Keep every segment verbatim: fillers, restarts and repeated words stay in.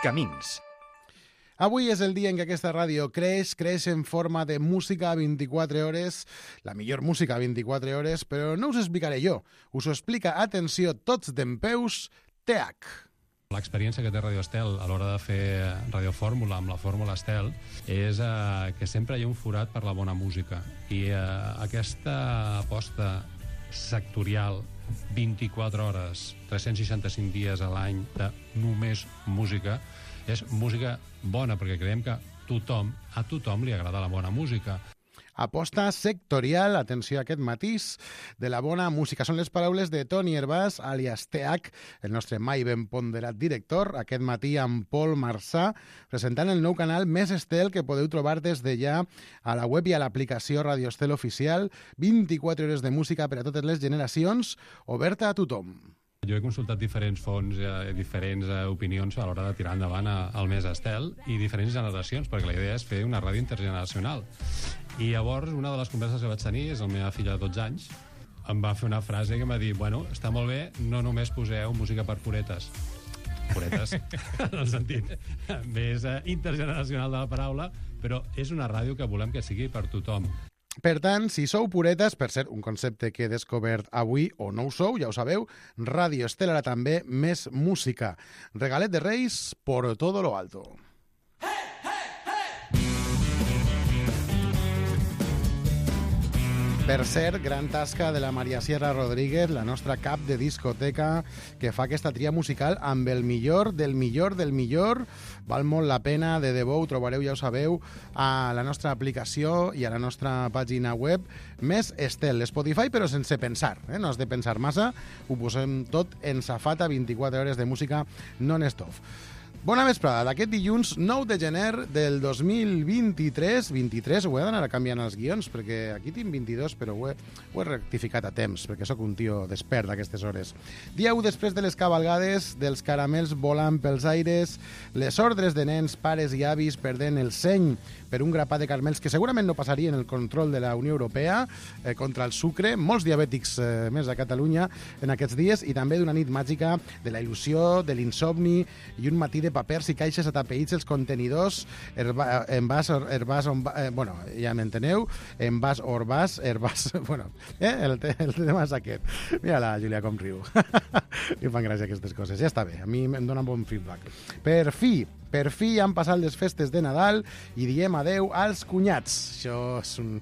Camins. Avui és el dia en què aquesta ràdio creix, creix en forma de música a vint-i-quatre hores, la millor música a vint-i-quatre hores, però no us explicaré jo. Us ho explica, atenció, tots dempeus, T H. L'experiència que té Radio Estel a l'hora de fer radiofórmula amb la fórmula Estel és eh, que sempre hi ha un forat per la bona música. I eh, aquesta aposta sectorial, vint-i-quatre hores, tres-cents seixanta-cinc dies a l'any de només música, és música bona, perquè creiem que tothom, a tothom li agrada la bona música. Aposta sectorial, atenció a aquest matís, de la bona música. Són les paraules de Toni Hervàs, alias T H, el nostre mai ben ponderat director, aquest matí amb Pol Marsà, presentant el nou canal Més Estel, que podeu trobar des de ja a la web i a l'aplicació Radio Estel Oficial, vint-i-quatre hores de música per a totes les generacions, oberta a tothom. Jo he consultat diferents fonts, eh, diferents eh, opinions a l'hora de tirar endavant a, al Més Estel i diferents generacions, perquè la idea és fer una ràdio intergeneracional. I llavors, una de les converses que vaig tenir és la meva filla de dotze anys, em va fer una frase que em va dir, bueno, està molt bé, no només poseu música per puretes. Puretes, en el sentit més eh, intergeneracional de la paraula, però és una ràdio que volem que sigui per tothom. Per tant, si sou puretes, per ser un concepte que he descobert avui, o no ho sou, ja ho sabeu, Ràdio Estel ara també més música. Regalet de Reis por todo lo alto. Per cert, gran tasca de la Maria Sierra Rodríguez, la nostra cap de discoteca, que fa aquesta tria musical amb el millor del millor del millor. Val molt la pena, de debò, ho trobareu, ja ho sabeu, a la nostra aplicació i a la nostra pàgina web Més Estel, Spotify, però sense pensar, eh? No has de pensar massa, ho posem tot en safata, vint-i-quatre hores de música non-stop. Bona vesprada, d'aquest dilluns nou de gener del dos mil vint-i-tres, vint-i-tres, ho he d'anar canviant els guions, perquè aquí tinc vint-i-dos, però ho he, ho he rectificat a temps, perquè sóc un tio despert d'aquestes hores. Dia u després de les cavalgades, dels caramels volant pels aires, les ordres de nens, pares i avis perdent el seny per un grapat de caramels que segurament no passarien el control de la Unió Europea eh, contra el sucre, molts diabètics eh, més a Catalunya en aquests dies, i també d'una nit màgica de la il·lusió, de l'insomni i un matí de papers i caixes atapeïts els contenidors, herba, envàs, herbàs, eh, bueno, ja m'enteneu, envàs, orbàs, herbàs, bueno, eh, el, te, el tema és aquest. Mira la Júlia com riu. Li fan gràcia aquestes coses. Ja està bé, a mi em donen bon feedback. Per fi, per fi han passat les festes de Nadal i diem adeu als cunyats. Això és un...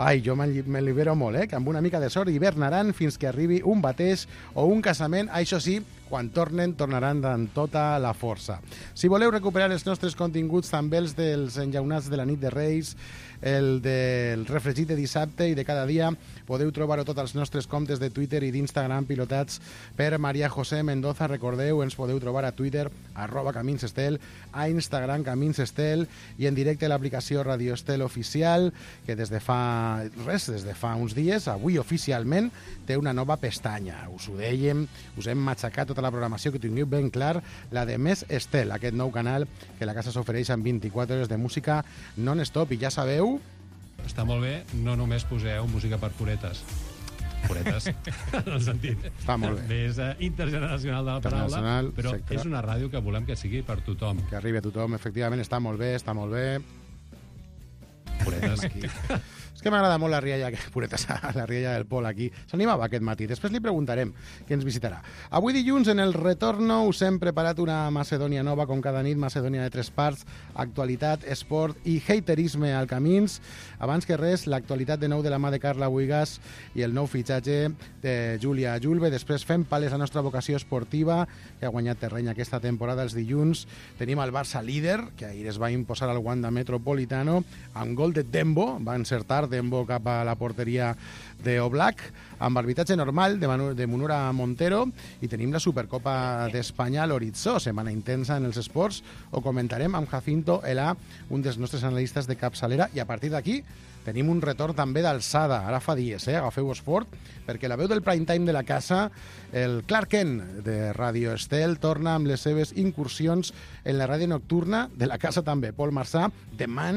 Ai, jo me libero molt, eh? Que amb una mica de sort hivernaran fins que arribi un bateix o un casament. Això sí, quan tornen, tornaran amb tota la força. Si voleu recuperar els nostres continguts, també els dels enllaunats de la nit de Reis, el del refregit de dissabte i de cada dia, podeu trobar-ho tots els nostres comptes de Twitter i d'Instagram pilotats per Maria José Mendoza. Recordeu, ens podeu trobar a Twitter, arroba Camins Estel, a Instagram Camins Estel i en directe a l'aplicació Radio Estel Oficial, que des de fa res, des de fa uns dies, avui oficialment, té una nova pestanya. Us ho dèiem, us hem matxacat tota la programació, que tingueu ben clar, la de Més Estel, aquest nou canal que la casa s'ofereix amb vint-i-quatre hores de música non-stop. I ja sabeu... Està molt bé, no només poseu música per puretes. Puretes, en el sentit Està molt bé. més uh, intergeneracional de la paraula, però etcètera. És una ràdio que volem que sigui per tothom. Que arribi a tothom, efectivament, està molt bé, està molt bé. Puretes. Aquí. És que m'agrada molt la rialla, puretes, la rialla del Pol aquí. S'animava aquest matí. Després li preguntarem què ens visitarà. Avui dilluns, en el retorno, us hem preparat una Macedònia nova, com cada nit, Macedònia de tres parts, actualitat, esport i haterisme al Camins. Abans que res, l'actualitat de nou de la mà de Carla Buigas i el nou fitxatge de Júlia Julve. Després fem pales la nostra vocació esportiva, que ha guanyat terreny aquesta temporada els dilluns. Tenim el Barça líder, que ahir es va imposar al Wanda Metropolitano, amb gol de Dembo, va encertar Dembo cap a la porteria de Oblak, amb arbitratge normal de, Manu, de Munura Montero, i tenim la Supercopa d'Espanya a l'horitzó, setmana intensa en els esports. Ho comentarem amb Jacinto Elà, un dels nostres analistes de capçalera, i a partir d'aquí tenim un retorn també d'alçada, ara fa dies, eh? Agafeu-vos fort, perquè la veu del prime time de la casa, el Clark Kent de Radio Estel, torna amb les seves incursions en la ràdio nocturna de la casa també. Pol Marsà, demà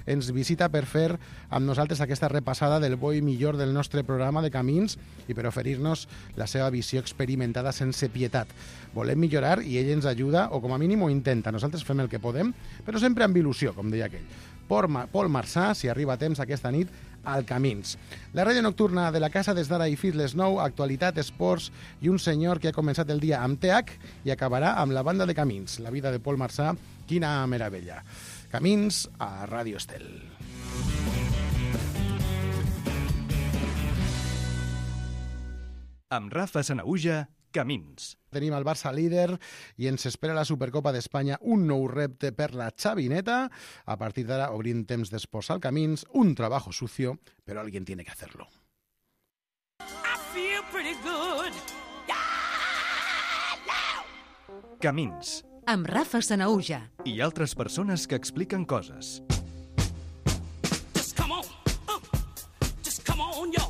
ens visita per fer amb nosaltres nosaltres aquesta repassada del bo i millor del nostre programa de Camins i per oferir-nos la seva visió experimentada sense pietat. Volem millorar i ell ens ajuda, o com a mínim ho intenta. Nosaltres fem el que podem, però sempre amb il·lusió, com deia aquell. Pol Marçà, si arriba a temps aquesta nit, al Camins. La ràdio nocturna de la casa des d'ara i fins les nou, actualitat, esports i un senyor que ha començat el dia amb T H i acabarà amb la banda de Camins. La vida de Pol Marçà, quina meravella. Camins a Ràdio Estel. Amb Rafa Sanahuja, Camins. Tenim el Barça líder i ens espera la Supercopa d'Espanya un nou repte per la xavineta. A partir d'ara obrim temps d'esports al Camins, un trabajo sucio, però alguien tiene que hacerlo. I feel pretty good. Yeah, no. Camins. Amb Rafa Sanahuja. I altres persones que expliquen coses. Just come on. Uh, just come on, yo.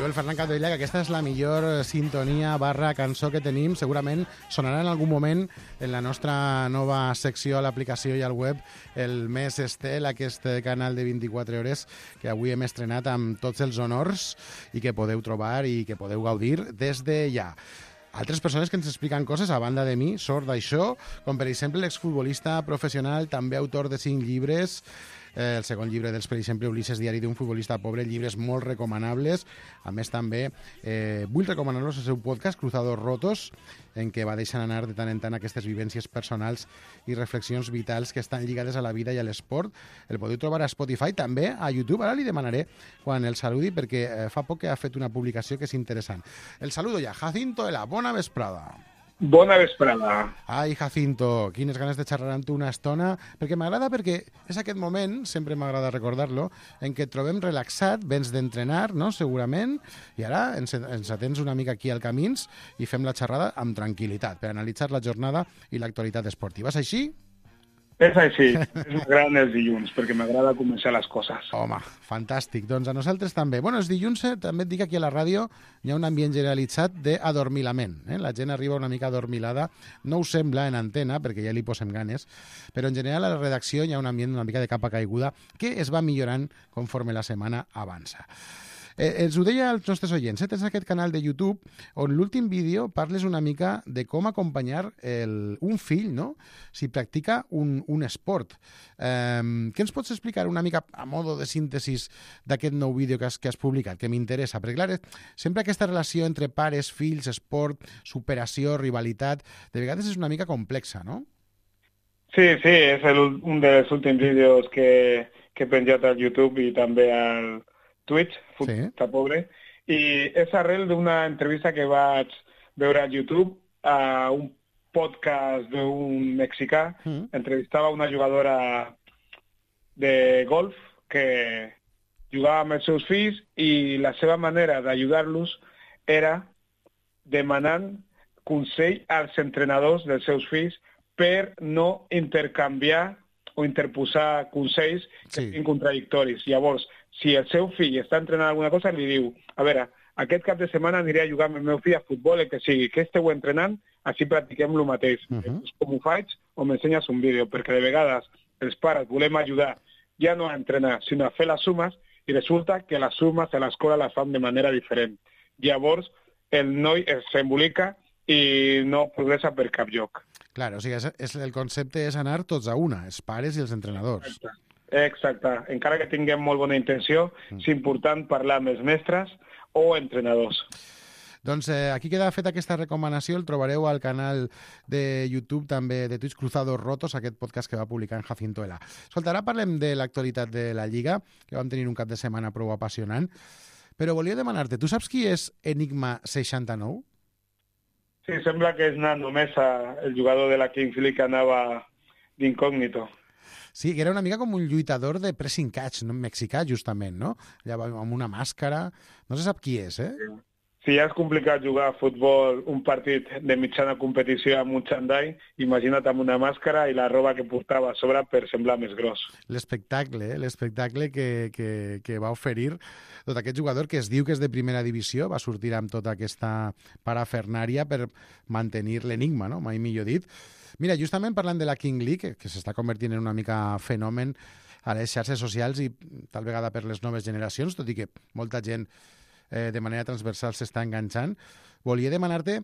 El Ferran Capdevila, que aquesta és la millor sintonia barra cançó que tenim. Segurament sonarà en algun moment en la nostra nova secció a l'aplicació i al web, el Mes Estel, aquest canal de vint-i-quatre hores que avui hem estrenat amb tots els honors i que podeu trobar i que podeu gaudir des de ja. Altres persones que ens expliquen coses a banda de mi, sort d'això, com per exemple l'exfutbolista professional, també autor de cinc llibres, eh, el segon llibre dels, per exemple, Ulisses, diari d'un futbolista pobre, llibres molt recomanables. A més, també eh, vull recomanar-los el seu podcast, Cruzados Rotos, en què va deixant anar de tant en tant aquestes vivències personals i reflexions vitals que estan lligades a la vida i a l'esport. El podeu trobar a Spotify, també a YouTube. Ara li demanaré quan el saludi, perquè eh, fa poc que ha fet una publicació que és interessant. El saludo ja. Jacinto de la Bona Vesprada. Bona vesprada. Ai, Jacinto, quines ganes de xerrar amb tu una estona, perquè m'agrada, perquè és aquest moment, sempre m'agrada recordar-lo, en què et trobem relaxat, vens d'entrenar, no?, segurament, i ara ens, ens atens una mica aquí al Camins i fem la xerrada amb tranquil·litat, per analitzar la jornada i l'actualitat esportiva. És així? És així, és m'agraden els dilluns, perquè m'agrada començar les coses. Home, fantàstic. Doncs a nosaltres també. Bueno, els dilluns, eh, també et dic, aquí a la ràdio hi ha un ambient generalitzat d'adormilament. Eh? La gent arriba una mica adormilada. No ho sembla en antena, perquè ja li posem ganes, però en general a la redacció hi ha un ambient una mica de capa caiguda que es va millorant conforme la setmana avança. Eh, els ho deia als nostres oients, eh? Tens aquest canal de YouTube on l'últim vídeo parles una mica de com acompanyar el, un fill, no?, si practica un, un esport. Eh, què ens pots explicar una mica a modo de síntesis d'aquest nou vídeo que has, que has publicat, que m'interessa? Perquè, clar, sempre aquesta relació entre pares, fills, esport, superació, rivalitat, de vegades és una mica complexa, no? Sí, sí, és el, un dels últims vídeos que, que he penjat al YouTube i també al Twitch, Futbolista sí. Pobre, i és arrel d'una entrevista que vaig veure a YouTube a un podcast d'un mexicà. Mm. Entrevistava una jugadora de golf que jugava amb els seus fills i la seva manera d'ajudar-los era demanant consell als entrenadors dels seus fills per no intercanviar o interposar consells que sí. siguin contradictoris. Llavors, si el seu fill està entrenant alguna cosa, li diu, a veure, aquest cap de setmana aniré a jugar amb el meu fill a futbol, el que sigui, que esteu entrenant, així practiquem el mateix. Uh -huh. Com ho faig, o m'ensenyes un vídeo, perquè de vegades els pares volem ajudar ja no a entrenar, sinó a fer les sumes, i resulta que les sumes a l'escola les fan de manera diferent. Llavors, el noi s'embolica i no progressa per cap lloc. Clar, o sigui, és, és, el concepte és anar tots a una, els pares i els entrenadors. Exacte. Exacte. Encara que tinguem molt bona intenció, mm. és important parlar amb els mestres o entrenadors. Doncs eh, aquí queda feta aquesta recomanació, el trobareu al canal de YouTube, també de Twitch, Cruzados Rotos, aquest podcast que va publicar en Jacinto Ela. Escolta, ara parlem de l'actualitat de la Lliga, que vam tenir un cap de setmana prou apassionant, però volia demanar-te, tu saps qui és Enigma seixanta-nou? Sí, sembla que és Nando Mesa, el jugador de la Kings League que anava d'incògnito. Sí, que era una mica com un lluitador de pressing catch, no? Mexicà, justament, no? Allà amb una màscara. No se sap qui és, eh? si ja és complicat jugar a futbol un partit de mitjana competició amb un xandall, imagina't amb una màscara i la roba que portava a sobre per semblar més gros. L'espectacle, eh? l'espectacle que, que, que va oferir tot aquest jugador que es diu que és de primera divisió, va sortir amb tota aquesta parafernària per mantenir l'enigma, no? Mai millor dit. Mira, justament parlant de la King League, que s'està convertint en una mica fenomen a les xarxes socials i tal vegada per les noves generacions, tot i que molta gent eh, de manera transversal s'està enganxant, volia demanar-te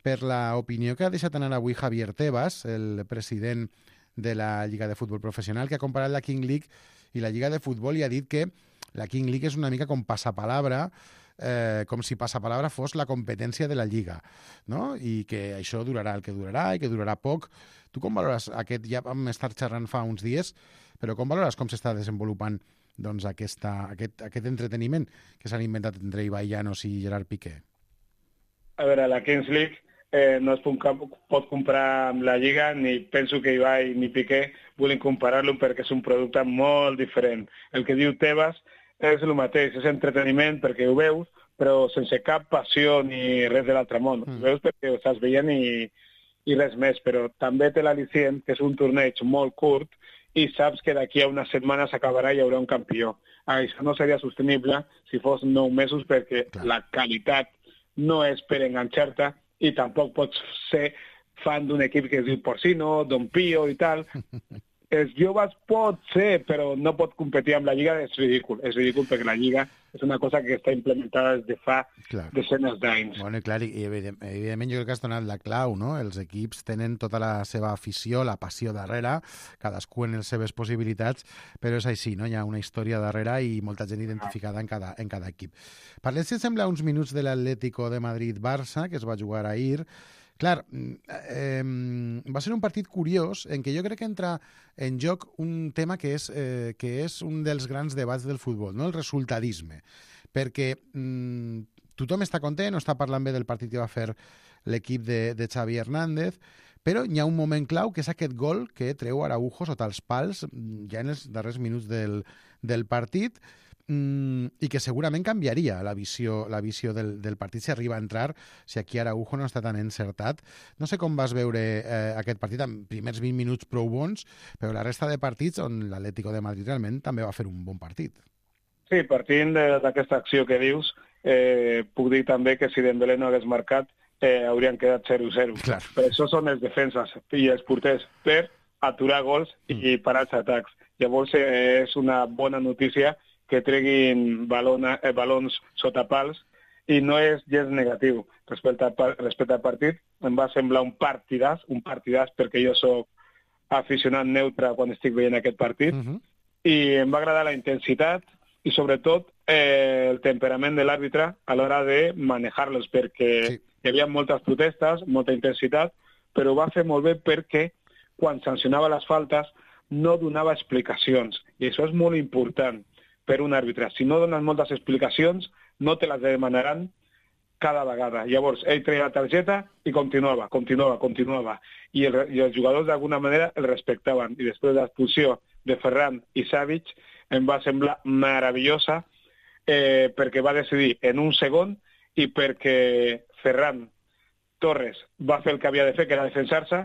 per l'opinió que ha deixat anar avui Javier Tebas, el president de la Lliga de Futbol Professional, que ha comparat la King League i la Lliga de Futbol i ha dit que la King League és una mica com passapalabra, eh, com si passapalabra fos la competència de la Lliga, no? I que això durarà el que durarà i que durarà poc. Tu com valores aquest, ja vam estar xerrant fa uns dies, però com valores com s'està desenvolupant doncs, aquesta, aquest, aquest entreteniment que s'han inventat entre Ibai Llanos i Gerard Piqué? A veure, la Kings League eh, no es pot comparar amb la Lliga, ni penso que Ibai ni Piqué vulguin comparar-lo perquè és un producte molt diferent. El que diu Tebas és el mateix, és entreteniment perquè ho veus, però sense cap passió ni res de l'altre món. Mm. Ho veus perquè ho estàs veient i, i res més, però també té l'al·licient que és un torneig molt curt i saps que d'aquí a unes setmanes s'acabarà i hi haurà un campió. Això no seria sostenible si fos nou mesos perquè Clar. La qualitat no és per enganxar-te i tampoc pots ser fan d'un equip que es diu Porcino, Don Pío i tal. Els joves pot ser, però no pot competir amb la Lliga, és ridícul. És ridícul perquè la Lliga és una cosa que està implementada des de fa clar. Desenes d'anys. Bueno, i clar, i evidentment jo crec que has donat la clau, no? Els equips tenen tota la seva afició, la passió darrere, cadascú en les seves possibilitats, però és així, no? Hi ha una història darrere i molta gent identificada en cada, en cada equip. Parlem, si sembla, uns minuts de l'Atlético de Madrid-Barça, que es va jugar ahir. Clar, eh, va ser un partit curiós en què jo crec que entra en joc un tema que és, eh, que és un dels grans debats del futbol, no? El resultadisme. Perquè mm, tothom està content, no està parlant bé del partit que va fer l'equip de, de Xavi Hernández, però hi ha un moment clau que és aquest gol que treu Araujo sota els pals ja en els darrers minuts del, del partit, i que segurament canviaria la visió, la visió del, del partit si arriba a entrar, si aquí Araujo no està tan encertat. No sé com vas veure eh, aquest partit amb primers vint minuts prou bons, però la resta de partits on l'Atlético de Madrid realment també va fer un bon partit. Sí, partint d'aquesta acció que dius, eh, puc dir també que si Dembélé no hagués marcat, eh, haurien quedat zero zero. Clar. Per això són els defenses i els porters, per aturar gols i parar els atacs. Llavors eh, és una bona notícia que treguin balona, eh, balons sota pals i no és gens negatiu. Respecte al, respecte al partit, em va semblar un partidàs, un partidàs perquè jo sóc aficionat neutre quan estic veient aquest partit, uh-huh. i em va agradar la intensitat i sobretot eh, el temperament de l'àrbitre a l'hora de manejar-los, perquè sí. Hi havia moltes protestes, molta intensitat, però ho va fer molt bé perquè quan sancionava les faltes no donava explicacions, i això és molt important per un àrbitre. Si no dones moltes explicacions, no te les demanaran cada vegada. Llavors, ell treia la targeta i continuava, continuava, continuava. I, el, i els jugadors d'alguna manera el respectaven. I després de l'expulsió de Ferran i Savic em va semblar meravellosa eh, perquè va decidir en un segon i perquè Ferran Torres va fer el que havia de fer, que era defensar-se,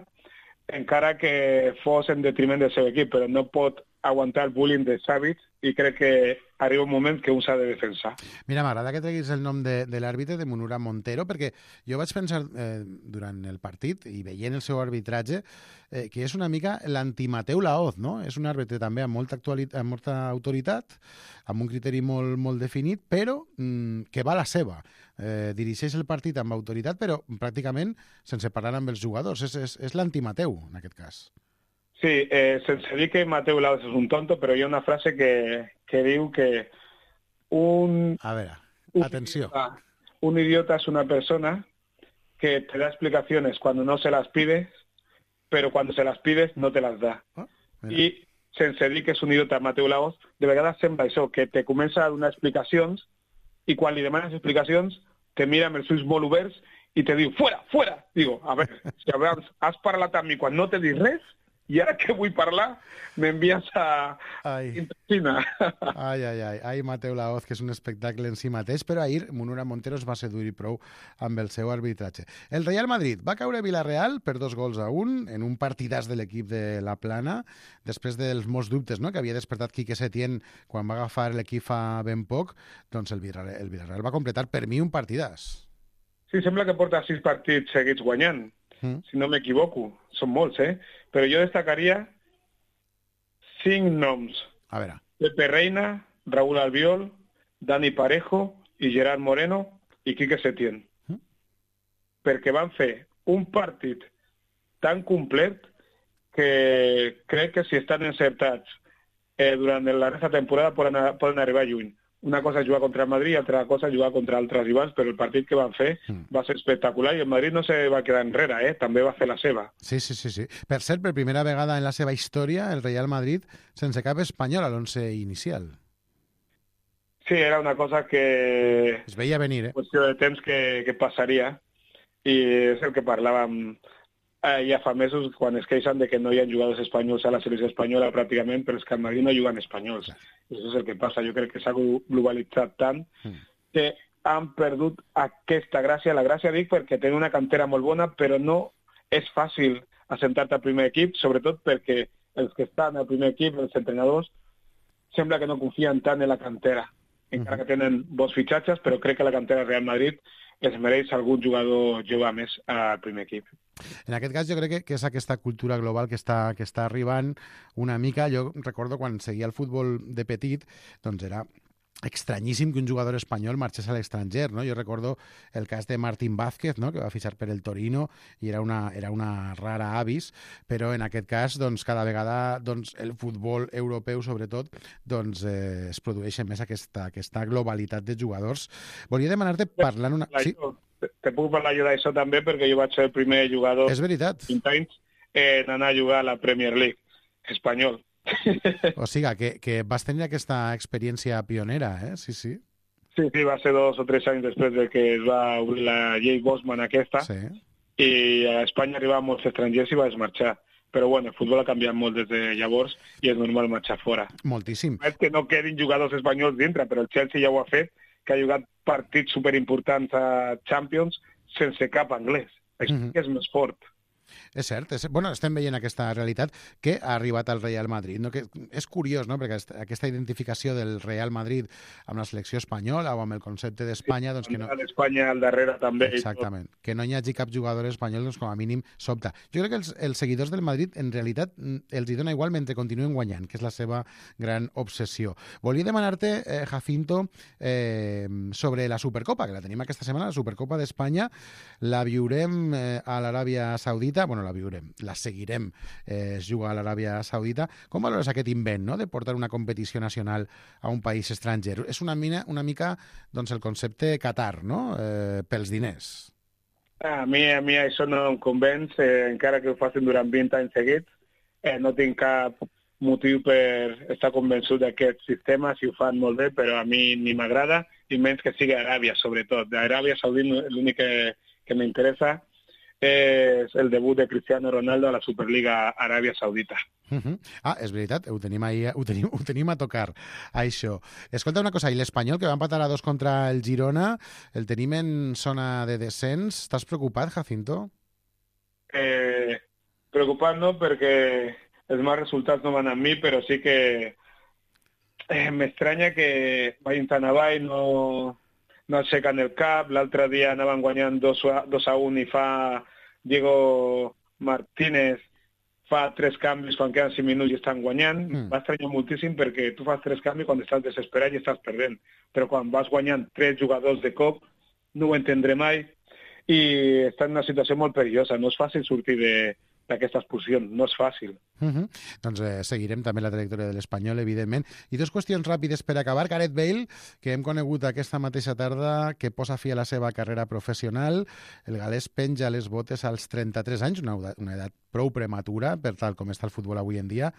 encara que fos en detriment del seu equip, però no pot aguantar el bullying de Savic i crec que arriba un moment que un s'ha de defensar. Mira, m'agrada que treguis el nom de, de l'àrbitre, de Munura Montero, perquè jo vaig pensar eh, durant el partit i veient el seu arbitratge eh, que és una mica l'antimateu Laoz, no? És un àrbitre també amb molta, amb molta autoritat, amb un criteri molt, molt definit, però mm, que va a la seva. Eh, dirigeix el partit amb autoritat, però pràcticament sense parlar amb els jugadors. És, és, és l'antimateu, en aquest cas. Sí, eh, sense dir que Mateu Laoz és un tonto, però hi ha una frase que, que diu que un... A veure, atenció. Un idiota, un idiota es una persona que te da explicaciones cuando no se las pides, pero cuando se las pides no te las da. Oh, I sense dir que és un idiota Mateu Laoz, de vegades sembla això, que te comença a donar explicacions i quan li demanes explicacions te mira amb els ulls molt oberts i te diu, fuera, fuera! Digo, a veure, si abans has parlat amb mi quan no t'he dit res, i ara que vull parlar m'envies a Ai. Intestina. Ai, ai, ai, ai, Mateu Laoz, que és un espectacle en si mateix, però ahir Munura Montero es va seduir prou amb el seu arbitratge. El Real Madrid va caure a Villarreal per dos gols a un, en un partidàs de l'equip de la Plana, després dels molts dubtes, no?, que havia despertat Quique Setién quan va agafar l'equip fa ben poc, doncs el Villarreal, el Villarreal va completar per mi un partidàs. Sí, sembla que porta sis partits seguits guanyant, mm. si no m'equivoco. Són molts, eh? Però jo destacaria cinc noms. A veure. Pepe Reina, Raúl Albiol, Dani Parejo i Gerard Moreno i Quique Setién. Mm. Perquè van fer un partit tan complet que crec que si estan encertats eh, durant la resta de temporada poden, poden arribar lluny. Una cosa és jugar contra el Madrid i altra cosa jugar contra altres rivals, però el partit que van fer mm. va ser espectacular i el Madrid no se va quedar enrere, eh? També va fer la seva. Sí, sí, sí, sí. Per cert, per primera vegada en la seva història, el Real Madrid sense cap espanyol a l'onze inicial. Sí, era una cosa que... Es veia venir, eh? Qüestió de temps que, que passaria i és el que parlàvem eh, ja fa mesos quan es queixen de que no hi ha jugadors espanyols a la selecció espanyola pràcticament, però és que al Madrid no juguen espanyols. Clar. Això és el que passa. Jo crec que s'ha globalitzat tant mm. que han perdut aquesta gràcia. La gràcia dic perquè tenen una cantera molt bona, però no és fàcil assentar-te al primer equip, sobretot perquè els que estan al primer equip, els entrenadors, sembla que no confien tant en la cantera. Encara que tenen bons fitxatges, però crec que la cantera Real Madrid es mereix algun jugador jove més al primer equip. En aquest cas jo crec que, que és aquesta cultura global que està, que està arribant una mica. Jo recordo quan seguia el futbol de petit, doncs era estranyíssim que un jugador espanyol marxés a l'estranger, no? Jo recordo el cas de Martín Vázquez, no?, que va fitxar per el Torino i era una, era una rara avis, però en aquest cas doncs, cada vegada doncs, el futbol europeu sobretot doncs, eh, es produeix més aquesta, aquesta globalitat de jugadors. Volia demanar-te parlant una... Sí? Te puc parlar jo d'això també perquè jo vaig ser el primer jugador és veritat. vint anys en anar a jugar a la Premier League espanyol. O sigui, que, que vas tenir aquesta experiència pionera, eh? Sí, sí. Sí, sí, va ser dos o tres anys després de que es va obrir la llei Bosman aquesta, sí. I a Espanya arribaven molts estrangers i vas marxar. Però bueno, el futbol ha canviat molt des de llavors i és normal marxar fora. Moltíssim. És que no quedin jugadors espanyols dintre, però el Chelsea ja ho ha fet, que ha jugat partits superimportants a Champions sense cap anglès. Això mm-hmm. és més fort. És cert, és... bueno, estem veient aquesta realitat que ha arribat al Real Madrid, no? Que és curiós, no?, perquè aquesta identificació del Real Madrid amb la selecció espanyola o amb el concepte d'Espanya, doncs que no... L'Espanya al darrere també. Exactament, que no hi hagi cap jugador espanyol, doncs com a mínim sobta. Jo crec que els, els seguidors del Madrid en realitat els hi dona igual mentre continuen guanyant, que és la seva gran obsessió. Volia demanar-te, eh, Jacinto, eh, sobre la Supercopa, que la tenim aquesta setmana, la Supercopa d'Espanya, la viurem eh, a l'Aràbia Saudita, bueno, la viurem, la seguirem, eh, es juga a l'Aràbia Saudita. Com valores aquest invent, no?, de portar una competició nacional a un país estranger? És una, mina, una mica doncs, el concepte Qatar, no?, eh, pels diners. A mi, a mi això no em convenç, eh, encara que ho facin durant vint anys seguits. Eh, no tinc cap motiu per estar convençut d'aquest sistema, si ho fan molt bé, però a mi ni m'agrada, i menys que sigui Aràbia, sobretot. D'Aràbia Saudita l'únic que, que m'interessa és el debut de Cristiano Ronaldo a la Superliga Aràbia Saudita. Uh -huh. Ah, és veritat, ho tenim, ahí, ho, tenim, ho tenim a tocar, això. Escolta una cosa, i l'Espanyol, que va empatar a dos contra el Girona, el tenim en zona de descens. Estàs preocupat, Jacinto? Eh, preocupat no, perquè els mals resultats no van amb mi, però sí que eh, m'estranya que vagin tan avall, no... no aixequen el cap. L'altre dia anaven guanyant dos a un i fa Diego Martínez fa tres canvis quan queden cinc minuts i estan guanyant. Mm. Va estranyar moltíssim perquè tu fas tres canvis quan estàs desesperat i estàs perdent. Però quan vas guanyant tres jugadors de cop no ho entendré mai i està en una situació molt perillosa. No és fàcil sortir de d'aquesta expulsió, no és fàcil. Uh -huh. Doncs eh, seguirem també la trajectòria de l'Espanyol, evidentment. I dues qüestions ràpides per acabar. Gareth Bale, que hem conegut aquesta mateixa tarda, que posa fi a la seva carrera professional. El galès penja les botes als trenta-tres anys, una, una edat prou prematura per tal com està el futbol avui en dia,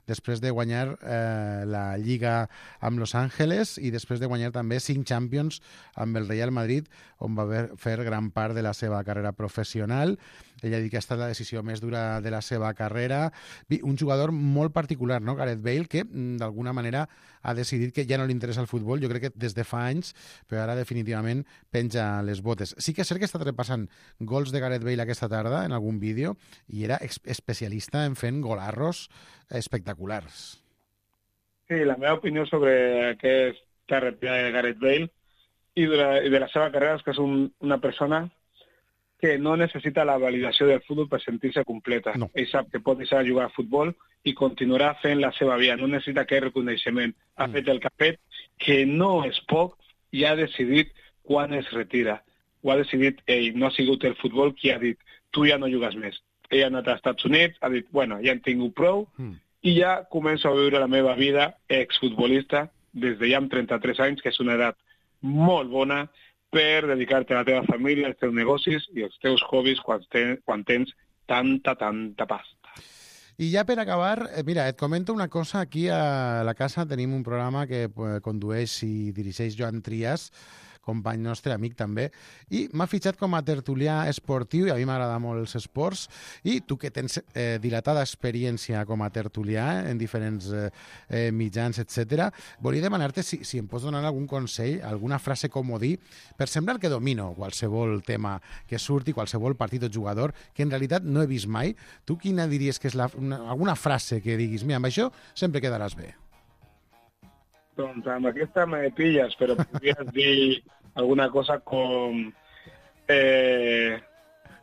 després de guanyar eh, la Lliga amb Los Angeles i després de guanyar també cinc Champions amb el Real Madrid, on va fer gran part de la seva carrera professional. Ella ha dit que ha estat la decisió més dura de la seva carrera. Un jugador molt particular, no? Gareth Bale, que d'alguna manera ha decidit que ja no li interessa el futbol, jo crec que des de fa anys, però ara definitivament penja les botes. Sí que és cert que he estat repassant gols de Gareth Bale aquesta tarda en algun vídeo i era especialista en fent golarros espectaculars. Sí, la meva opinió sobre aquesta retirada de Gareth Bale i de la, i de la seva carrera és que és un, una persona que no necessita la validació del futbol per sentir-se completa. No. Ell sap que pot deixar de jugar a futbol i continuarà fent la seva vida. No necessita aquest reconeixement. Ha mm. fet el que ha fet, que no és poc, i ha decidit quan es retira. Ho ha decidit ell. No ha sigut el futbol qui ha dit tu ja no jugues més. Ell ha anat als Estats Units, ha dit, bueno, ja hem tingut prou, mm. i ja començo a viure la meva vida exfutbolista des de ja amb trenta-tres anys, que és una edat molt bona per dedicar-te a la teva família, als teus negocis i als teus hobbies quan, ten, quan tens tanta, tanta pasta. I ja per acabar, mira, et comento una cosa. Aquí a la casa tenim un programa que condueix i dirigeix Joan Trias, company nostre, amic també, i m'ha fitxat com a tertulià esportiu, i a mi m'agrada molt els esports, i tu que tens eh, dilatada experiència com a tertulià en diferents eh, mitjans, etcètera, volia demanar-te si, si em pots donar algun consell, alguna frase comodí, per semblar que domino qualsevol tema que surti, qualsevol partit o jugador, que en realitat no he vist mai. Tu quina diries que és la, una, alguna frase que diguis, mira, amb això sempre quedaràs bé? Doncs amb aquesta me pilles, però podries dir alguna cosa com... Eh...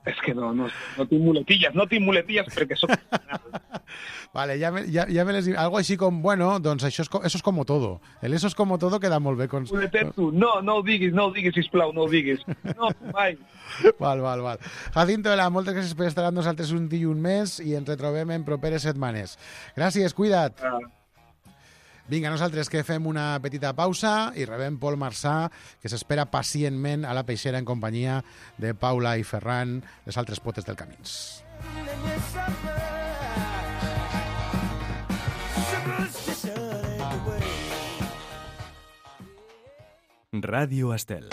És que no, no, no tinc muletillas, no tinc muletillas perquè soc... Vale, ja me, ja, ja me les dic. Algo així com, bueno, doncs això és, eso es como todo. El eso es como todo queda molt bé. Con... Muletetsu, no, no ho diguis, no ho diguis, sisplau, no ho diguis. No, mai. Val, val, val. Jacinto Ela, moltes gràcies per estar amb nosaltres un dia i un mes i ens retrobem en properes setmanes. Gràcies, cuida't. Ah. Vinga, nosaltres que fem una petita pausa i rebem Pol Marçà, que s'espera pacientment a la peixera en companyia de Paula i Ferran, les altres potes del Camins. Ràdio Estel.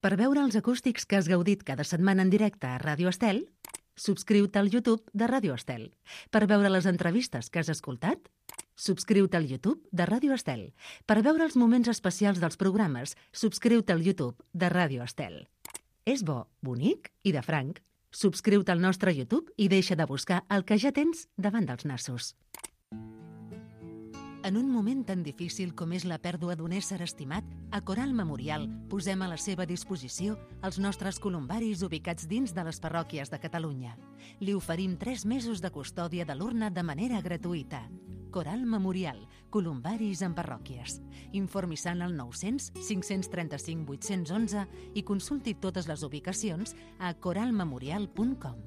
Per veure els acústics que has gaudit cada setmana en directe a Ràdio Estel, subscriu-te al YouTube de Ràdio Estel. Per veure les entrevistes que has escoltat, subscriu-te al YouTube de Ràdio Estel. Per veure els moments especials dels programes, subscriu-te al YouTube de Ràdio Estel. És bo, bonic i de franc. Subscriu-te al nostre YouTube i deixa de buscar el que ja tens davant dels nassos. En un moment tan difícil com és la pèrdua d'un ésser estimat, a Coral Memorial posem a la seva disposició els nostres columbaris ubicats dins de les parròquies de Catalunya. Li oferim tres mesos de custòdia de l'urna de manera gratuïta. Coral Memorial, columbaris en parròquies. Informi-se al nou-cents cinc-cents trenta-cinc vuit-cents onze i consulti totes les ubicacions a coral memorial punt com.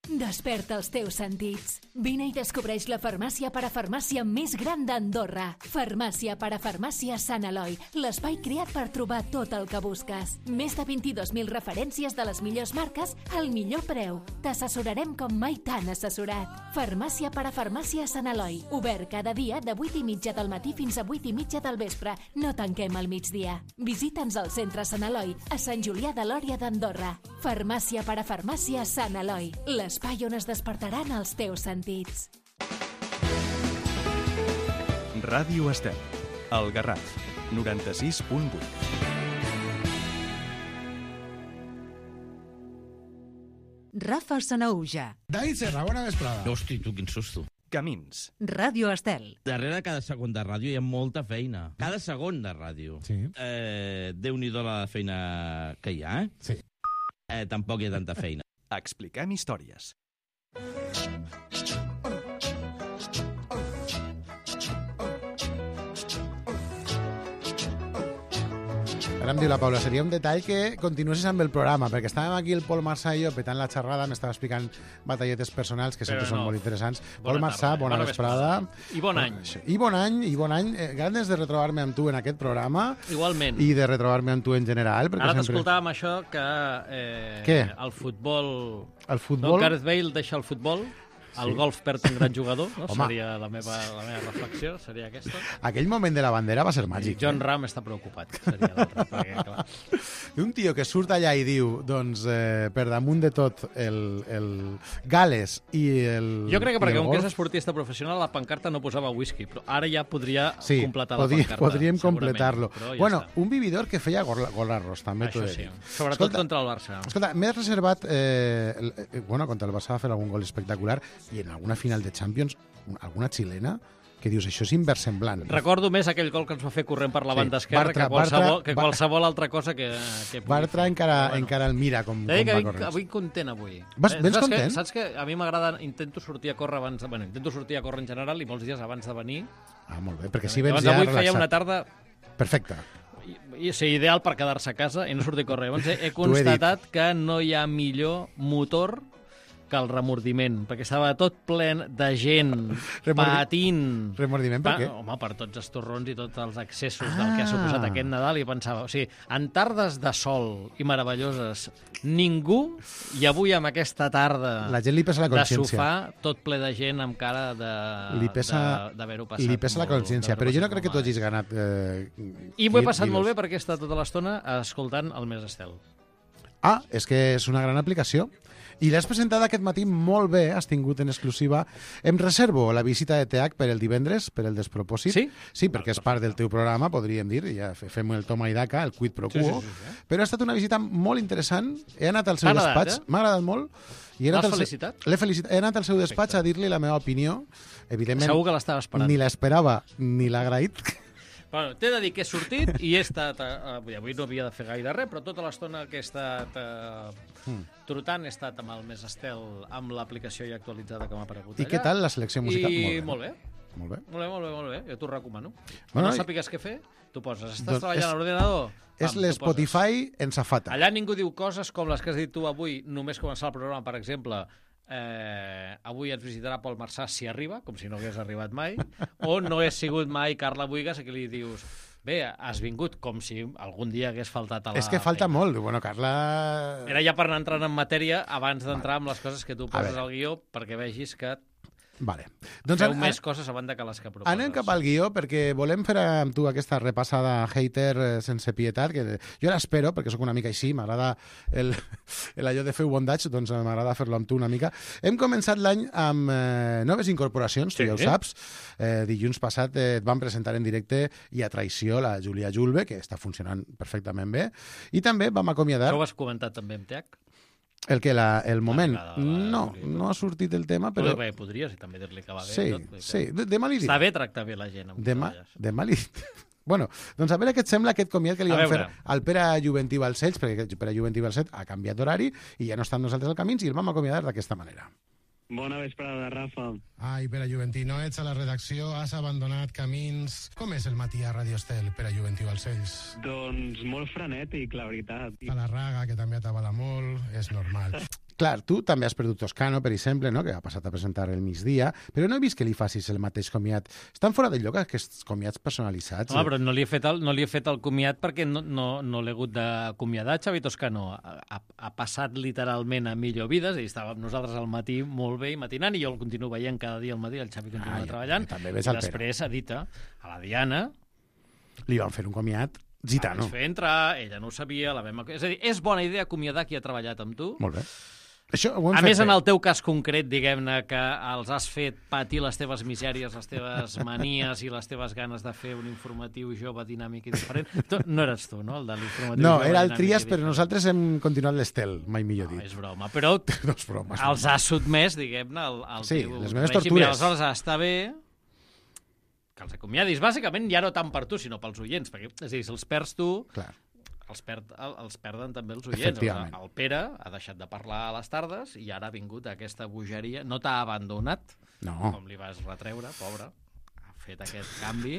Desperta els teus sentits. Vine i descobreix la farmàcia parafarmàcia més gran d'Andorra. Farmàcia parafarmàcia Sant Eloi, l'espai creat per trobar tot el que busques. Més de vint-i-dos mil referències de les millors marques al millor preu. T'assessorarem com mai t'han assessorat. Farmàcia parafarmàcia Sant Eloi, obert cada dia de vuit i mitja del matí fins a vuit i mitja del vespre. No tanquem al migdia. Visita'ns al centre Sant Eloi, a Sant Julià de Lòria d'Andorra. Farmàcia parafarmàcia Sant Eloi, l'espai on es despertaran els teus sentits. Ràdio Estel, El Garraf, noranta-sis punt vuit. Rafa Sanaúja. David Serra, bona vesprada. Hosti, tu, quin susto. Camins. Ràdio Estel. Darrere cada segon de ràdio hi ha molta feina. Cada segon de ràdio. Sí. Eh, Déu-n'hi-do la feina que hi ha, eh? Sí. Eh, tampoc hi ha tanta feina. Expliquem històries. Ara em diu la Paula, seria un detall que continuessis amb el programa, perquè estàvem aquí el Pol Marçà i jo petant la xerrada, m'estava explicant batalletes personals que sempre Però són no. molt interessants. Bona Pol Marçà, tarda, bona, bona vesprada. I bon any. I bon any, i bon any. Eh, ganes de retrobar-me amb tu en aquest programa. Igualment. I de retrobar-me amb tu en general. Perquè Ara sempre... t'escoltàvem això que eh, Què? el futbol... El futbol... No, Gareth Bale deixa el futbol, el Sí. golf perd un gran jugador, no? Home. Seria la meva, la meva reflexió, seria aquesta. Aquell moment de la bandera va ser I màgic. John eh? Ram està preocupat, seria l'altre, perquè, clar. Un tio que surt allà i diu, doncs, eh, per damunt de tot, el, el Gales i el Jo crec que i perquè el com que és golf, esportista professional, la pancarta no posava whisky, però ara ja podria sí, completar la podri, pancarta. podríem segurament, completar-lo. però ja Bueno, està. un vividor que feia gol, golarros, també t'ho Això he de sí, dir. sobretot Escolta, contra el Barça. Escolta, m'he reservat... Eh, el- eh, bueno, contra el Barça va fer algun gol espectacular i en alguna final de Champions, alguna xilena, que dius, això és inversemblant. Recordo més aquell gol que ens va fer corrent per la Sí, banda esquerra Bartra- que, qualsevol, Bartra- que Bar- qualsevol altra cosa que, que pugui Bartra fer. encara, Però encara el mira com, T'he de dir com que va vinc, corrent. avui content avui. Vas- Eh, vens saps content? Que, saps que a mi m'agrada, intento sortir a córrer abans, de, bueno, intento sortir a córrer en general i molts dies abans de venir. Ah, molt bé, perquè si vens Llavors ja avui feia relaxat. una tarda Perfecte. i, i ser ideal per quedar-se a casa i no sortir a córrer. Llavors he, he T'ho he dit. constatat que no hi ha millor motor que el remordiment, perquè estava tot ple de gent Remordi- patint. Remordiment per Pa- què? Home, per tots els torrons i tots els excessos del que ha Ah. suposat aquest Nadal, i pensava, o sigui, en tardes de sol i meravelloses, ningú, i avui amb aquesta tarda La gent li pesa la de consciència. sofà, tot ple de gent amb cara de Li pesa, de- d'haver-ho passat li pesa la molt- consciència, d'haver-ho però jo no passat crec que tu molt hagis ganat... Eh, I m'ho he quil- passat molt quilos. bé perquè he estat tota l'estona escoltant el Més Estel. Ah, és que és una gran aplicació. I l'has presentat aquest matí molt bé, has tingut en exclusiva. Em reservo la visita de T H per el divendres, per el despropòsit. Sí? Sí, perquè és part del teu programa, podríem dir, ja fe- fem el toma i daca, el quid pro Sí, quo. sí, sí, sí. Però ha estat una visita molt interessant. He anat al seu T'ha agradat, despatx, eh? m'ha agradat molt. I he anat L'has al seu- felicitat? L'he felicitat. He anat al seu despatx a dir-li la meva opinió. Evidentment, Segur que l'estava esperant. ni l'esperava ni l'ha agraït. Bueno, t'he de dir que he sortit i he estat... Eh, avui avui no havia de fer gaire res, però tota l'estona que he estat eh, Hmm. trotant he estat amb el Més Estel, amb l'aplicació ja actualitzada que m'ha aparegut I allà. què tal la selecció musical? I Molt bé. molt bé. Molt bé. Molt bé, molt bé, molt bé. Jo t'ho recomano. Bueno, Quan no i- sàpigues què fer, tu poses. Estàs Doncs treballant és- a l'ordinador? És Pam, l'Spotify en safata. Allà ningú diu coses com les que has dit tu avui, només començar el programa, per exemple, eh, avui ens visitarà Pol Marçà si arriba, com si no hagués arribat mai, o no he sigut mai Carla Buigas, a qui li dius, bé, has vingut com si algun dia hagués faltat a la És que falta feina. molt. Bueno, Carla... Era ja per anar entrant en matèria abans d'entrar amb les coses que tu A poses veure. al guió perquè vegis que Vale. Doncs feu an- més coses a banda que les que proposes. anem cap al guió perquè volem fer amb tu aquesta repassada hater eh, sense pietat, que jo l'espero perquè sóc una mica així, m'agrada el, el allò de fer bondage, doncs eh, m'agrada fer-lo amb tu una mica. Hem començat l'any amb eh, noves incorporacions, tu Sí. ja ho saps. Eh, dilluns passat eh, et van presentar en directe i a traïció la Júlia Julve, que està funcionant perfectament bé, i també vam acomiadar... Això ho has comentat també amb T H? El que la, el moment... L'arribada de la No, Júlia. no ha sortit el tema, però... Però... Bé, podries i també dir-li que va bé. Sí, i tot, vull dir sí. que De- Demà li diré. Està bé tractar bé la gent. Amb qui Demà, treballes. demà li... Bueno, doncs a veure què et sembla aquest comiat que li A vam fer veure. al Pere Juventí Balcells, perquè Pere Juventí Balcells ha canviat d'horari i ja no està amb nosaltres al camins i el vam acomiadar d'aquesta manera. Bona vesprada, Rafa. Ai, Pere Juventí, no ets a la redacció, has abandonat camins... Com és el matí a Radio Estel, Pere Juventí Balcells? Doncs molt frenètic, la veritat. A la Raga, que també atabala molt, és normal. Clar, tu també has perdut Toscano, per exemple, no? Que ha passat a presentar el migdia, però no he vist que li facis el mateix comiat. Estan fora de lloc aquests comiats personalitzats. Home, però no li he fet el, no li he fet el comiat perquè no, no, no l'he hagut d'acomiadar. Xavi Toscano ha, ha, ha passat literalment a millor vida, és a dir, estava amb nosaltres al matí molt bé i matinant, i jo el continuo veient cada dia al matí, el Xavi continua Ah, ja, treballant. també ves I el Pere. després ha dit a la Diana, Li van fer un comiat la gitano. vaig fer entrar, ella no ho sabia, la vam... És a dir, és bona idea acomiadar qui ha treballat amb tu. Molt bé. Això ho hem A fet més, bé. en el teu cas concret, diguem-ne, que els has fet patir les teves misèries, les teves manies i les teves ganes de fer un informatiu jove, dinàmic i diferent. Tu, no eres tu, no?, el de l'informatiu No, jove, era el dinàmic i Trias, però diferent. nosaltres hem continuat l'estel, mai millor No, dit. és broma, però No és broma. és els broma. has sotmès, diguem-ne, al, al Sí, teu les meves règim, tortures. i aleshores està bé que els acomiadis, bàsicament, ja no tant per tu, sinó pels oients, perquè, és a dir, si els perds tu, Clar. els, perd, els perden també els oients. Efectivament. El, el Pere ha deixat de parlar a les tardes i ara ha vingut aquesta bogeria. No t'ha abandonat, No. com li vas retreure, pobre. fet aquest canvi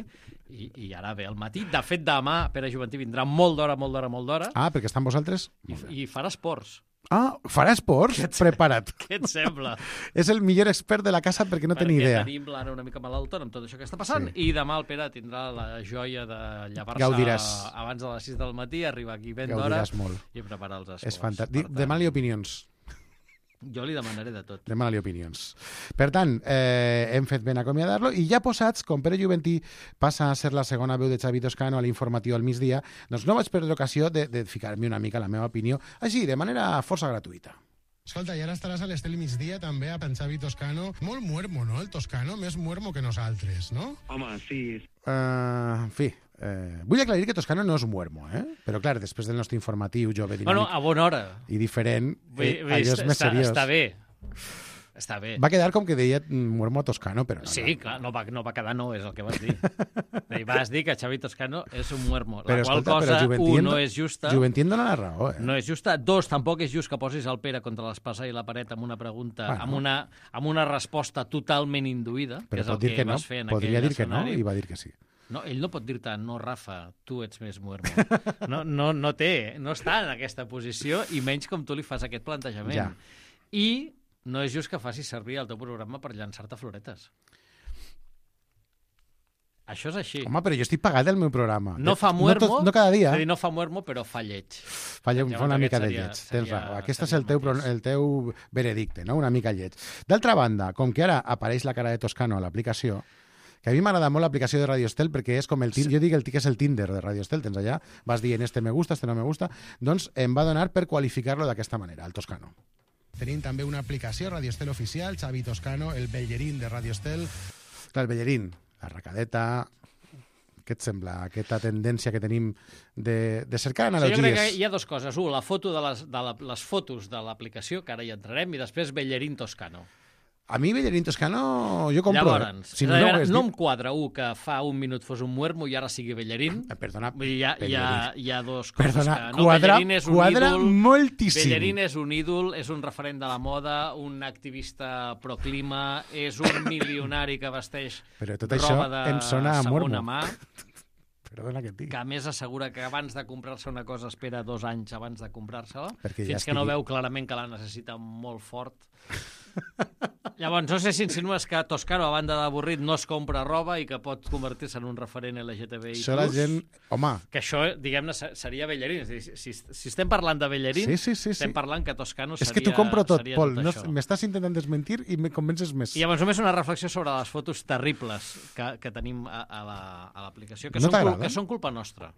i, i ara ve al matí. De fet, demà Pere Juventí vindrà molt d'hora, molt d'hora, molt d'hora. Ah, perquè estan vosaltres? I, i farà esports. Ah, farà esports? Prepara't. Què et sembla? És el millor expert de la casa perquè no té ni idea. Perquè tenim l'Anna una mica malaltona amb tot això que està passant sí. i demà el Pere tindrà la joia de llevar-se Gaudiràs. abans de les sis del matí, arribar aquí ben d'hora Gaudiràs molt. i preparar els esports. És fantàstic. Demana-li opinions. Jo li demanaré de tot. Demana-li opinions. Per tant, eh, hem fet ben acomiadar-lo i ja posats, com Pere Juventí passa a ser la segona veu de Xavi Toscano a l'informatiu al migdia, doncs no vaig perdre l'ocasió de, de ficar-me una mica la meva opinió, així, de manera força gratuïta. Escolta, i ara estaràs a l'Estel migdia també amb en Xavi Toscano. Molt muermo, no, el Toscano? Més muermo que nosaltres, no? Home, sí. Uh, en fi, eh, vull aclarir que Toscano no és muermo, eh? Però clar, després del nostre informatiu jove, dinàmic... Bueno, a bona hora. I diferent, eh, Vull, allò és més està, seriós. Està bé. Està bé. Va quedar com que deia muermo Toscano, però no. Sí, no. clar, no va, no va quedar no, és el que vas dir. I vas dir que Xavi Toscano és un muermo. Però, la qual escolta, cosa, Juventí un, en- no és justa. Juventí em dona la raó, eh? No és justa. Dos, tampoc és just que posis el Pere contra l'espasa i la paret amb una pregunta, Bueno. amb, una, amb una resposta totalment induïda, que Però és el pot dir que, que no, vas fer en podria aquell dir que no escenari. i va dir que sí. No, ell no pot dir-te, no, Rafa, tu ets més muermo. No, no, no té, no està en aquesta posició, i menys com tu li fas aquest plantejament. Ja. I no és just que facis servir el teu programa per llançar-te floretes. Això és així. Home, però jo estic pagat del meu programa. No fa muermo, No, tot, no cada dia. és a dir, no fa muermo, però fa lleig. Fa, lle- fa Llavors una aquest mica de seria- lleig. Tens seria- raó. Aquest és seria el teu, el pro- mateix. el teu veredicte, no? Una mica lleig. D'altra banda, com que ara apareix la cara de Toscano a l'aplicació, que a mi m'agrada molt l'aplicació de Radio Estel perquè és com el Tinder, jo dic el que és el Tinder de Radio Estel, tens allà, vas dient este me gusta, este no me gusta, doncs em va donar per qualificar-lo d'aquesta manera, el Toscano. Tenim també una aplicació, Radio Estel Oficial, Xavi Toscano, el Bellerín de Radio Estel. Clar, el Bellerín, la racadeta... Què et sembla, aquesta tendència que tenim de, de cercar Sí, jo analogies? crec que hi ha dues coses. Un, la foto de les, de la, les fotos de l'aplicació, que ara hi entrarem, i després Bellerín Toscano. A mi Bellerín Toscano jo compro. Llavors, eh? Si és no, a no, veure, ho hagués no dit. em quadra, un, que fa un minut fos un muermo i ara sigui Bellerín. Eh, Perdona, Vull dir, hi ha, hi ha, hi ha dos coses Perdona, que... No, quadra- Bellerín és un quadra ídol, moltíssim. Bellerín és un ídol, és un referent de la moda, un activista proclima, és un milionari que vesteix Però tot això roba de em sona a segona muermo. mà, Perdona que et digui. que a més assegura que abans de comprar-se una cosa espera dos anys abans de comprar-se-la, Perquè ja fins que no estigui- veu clarament que la necessita molt fort. Llavors, no sé si insinues que Toscano, a banda d'avorrit, no es compra roba i que pot convertir-se en un referent L G T B I plus. Això la gent... Home, Que això, diguem-ne, se- seria Bellerín. És a dir, si, si estem parlant de Bellerín, sí, sí, sí, estem sí. parlant que Toscano seria... És que t'ho compro tot, seria Pol. tot No, això. m'estàs intentant desmentir i me convences més. I llavors només una reflexió sobre les fotos terribles que, que tenim a, a la- a l'aplicació, que, No són cul- t'agraden? que són culpa nostra.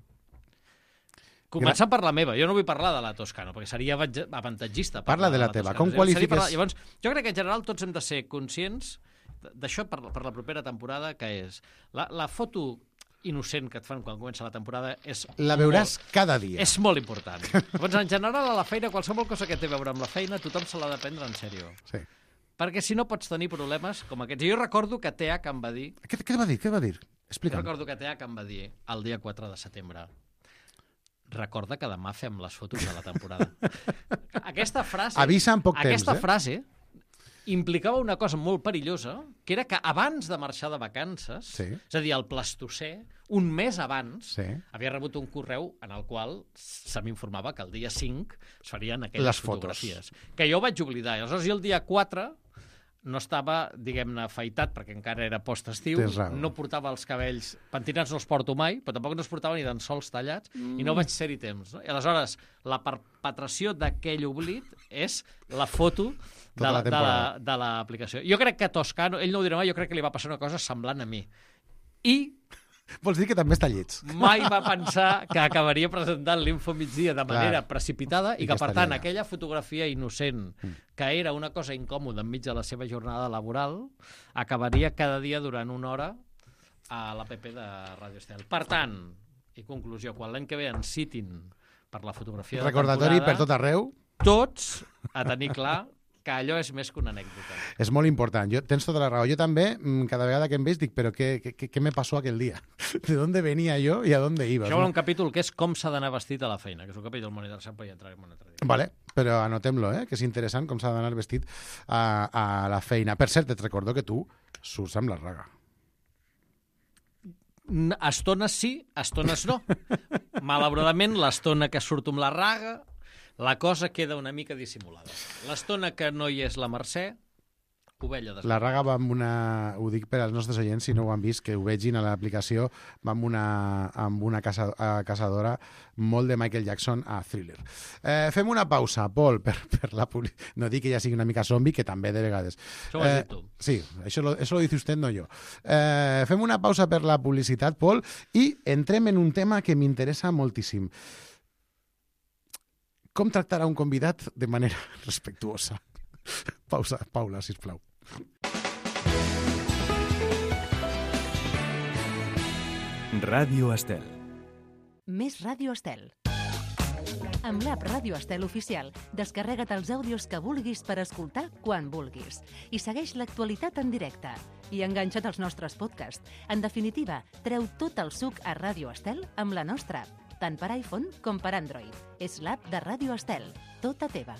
Començant per la meva. Jo no vull parlar de la Toscano, perquè seria avantatge- avantatgista. Parla parlar de la la teva. Toscano. Com Seria qualifiques- parlar- Llavors, jo crec que en general tots hem de ser conscients d'això per, per la propera temporada, que és la, la foto innocent que et fan quan comença la temporada és La veuràs molt, cada dia. és molt important. Llavors, en general, a la feina, qualsevol cosa que té a veure amb la feina, tothom se l'ha de prendre en sèrio. Sí. Perquè si no pots tenir problemes com aquests. Jo recordo que T H em va dir, Què, què va dir? Què va dir? jo Explica'm. recordo que T H em va dir el dia quatre de setembre, recorda que demà fem les fotos de la temporada. Aquesta frase... Avisa en poc aquesta temps, eh? frase implicava una cosa molt perillosa, que era que abans de marxar de vacances, Sí. és a dir, el Plastocè, un mes abans, Sí. havia rebut un correu en el qual se m'informava que el dia cinc es farien aquelles Les fotos. fotografies. Que jo ho vaig oblidar. I aleshores, jo el dia quatre no estava, diguem-ne, afaitat, perquè encara era post-estiu, Tens raó. no portava els cabells... Pentinats no els porto mai, però tampoc no els portava ni tan sols tallats, mm. i no vaig ser-hi temps. No? I aleshores, la perpetració d'aquell oblit és la foto de Tota la la- de la- temporada. de l'aplicació. Jo crec que Toscano, ell no ho dirà mai, jo crec que li va passar una cosa semblant a mi. I Vols dir que també està lleig? mai va pensar que acabaria presentant l'Info Migdia de manera Clar. precipitada i, I que, que per estaria tant, allà. aquella fotografia innocent, que era una cosa incòmoda enmig de la seva jornada laboral, acabaria cada dia durant una hora a l'A P P de Radio Estel. Per tant, i conclusió, quan l'any que ve ens citin per la fotografia de Recordatori per temporada, tot arreu. tots a tenir clar que allò és més que una anècdota. És molt important. Jo, tens tota la raó. Jo també, mm, cada vegada que em veig, dic, però què, què, què me passó aquell dia? ¿De dónde venía yo y a dónde iba? Això hi ha un capítol que és com s'ha d'anar vestit a la feina, que és un capítol molt interessant, però hi entrarem un altre dia. Vale, però anotem-lo, eh? que és interessant com s'ha d'anar vestit a, a la feina. Per cert, et recordo que tu surts amb la raga. Estones sí, estones no. Malauradament, l'estona que surto amb la raga, la cosa queda una mica dissimulada. L'estona que no hi és la Mercè, ovella de... La raga va amb una... Ho dic per als nostres oients, si no ho han vist, que ho vegin a l'aplicació, va amb una, amb una casa, caçadora molt de Michael Jackson a Thriller. Eh, fem una pausa, Pol, per, per la publicitat. No dic que ja sigui una mica zombi, que també de vegades. Això ho has dit tu. Sí, això lo, eso lo dice usted, no jo. Eh, fem una pausa per la publicitat, Pol, i entrem en un tema que m'interessa moltíssim. Com tractar a un convidat de manera respectuosa? Pausa, Paula, sisplau. Ràdio Estel. Més Ràdio Estel. Amb l'app Ràdio Estel Oficial, descarrega't els àudios que vulguis per escoltar quan vulguis. I segueix l'actualitat en directe. I enganxa't als nostres podcasts. En definitiva, treu tot el suc a Ràdio Estel amb la nostra app, tant per iPhone com per Android. És l'app de Ràdio Estel, tota teva.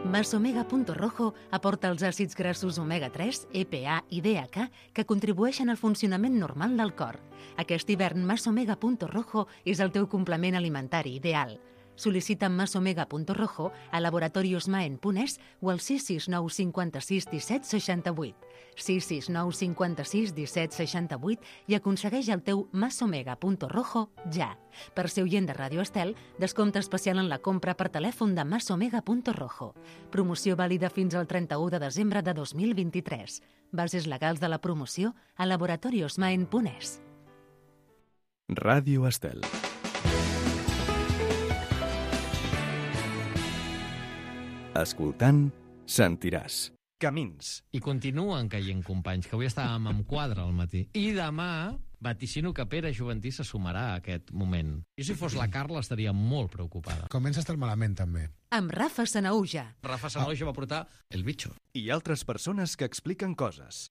Masomega Punto Rojo aporta els àcids grassos omega tres, E P A i D H A que contribueixen al funcionament normal del cor. Aquest hivern Masomega Punto Rojo és el teu complement alimentari ideal. Sol·licita Masomega Punto Rojo a Laboratorios Maen Punès o al sis sis nou cinquanta-sis disset seixanta-vuit. sis sis nou cinquanta-sis disset seixanta-vuit i aconsegueix el teu Masomega Punto Rojo ja. Per ser oient de Ràdio Estel, descompte especial en la compra per telèfon de Masomega Punto Rojo. Promoció vàlida fins al trenta-u de desembre de dos mil vint-i-tres. Bases legals de la promoció a Laboratorios Maen Punès. Ràdio Estel. Escoltant, sentiràs. Camins. I continuen caient companys, que avui estàvem amb quadre al matí. I demà vaticino que Pere Juventí se sumarà a aquest moment. Jo, si fos la Carla, estaria molt preocupada. Comença a estar malament, també. Amb Rafa Sanauja. Rafa Sanauja va portar El Bicho. I altres persones que expliquen coses.